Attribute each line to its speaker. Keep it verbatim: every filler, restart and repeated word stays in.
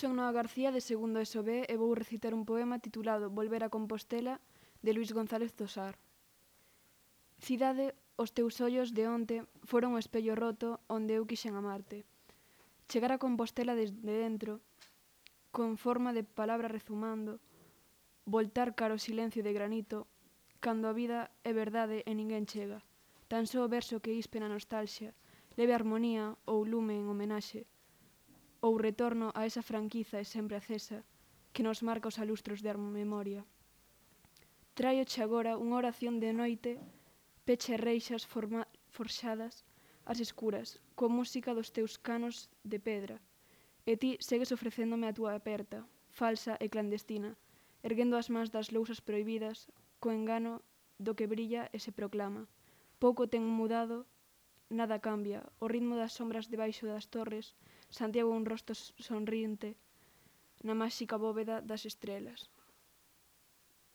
Speaker 1: Son Noa García de segundo E S O B e vou recitar un poema titulado Volver a Compostela de Luís González Tosar. Cidade, os teus ollos de onte foron o espello roto onde eu quixen amarte. Chegar a Compostela desde dentro, con forma de palabra rezumando, voltar cara ao silencio de granito, cando a vida é verdade e ninguén chega. Tan só o verso que ispe na nostalxia, leve armonía ou lume en homenaxe, ou retorno a esa franquiza e sempre acesa que nos marca os alustros da memoria. Tráioche agora unha oración de noite, peche reixas forma, forxadas, as escuras, coa música dos teus canos de pedra, e ti segues ofrecéndome a túa aperta, falsa e clandestina, erguendo as mans das lousas prohibidas, co engano do que brilla e se proclama. Pouco ten mudado, nada cambia, o ritmo das sombras debaixo das torres, Santiago un rosto sonriente na máxica bóveda das estrelas.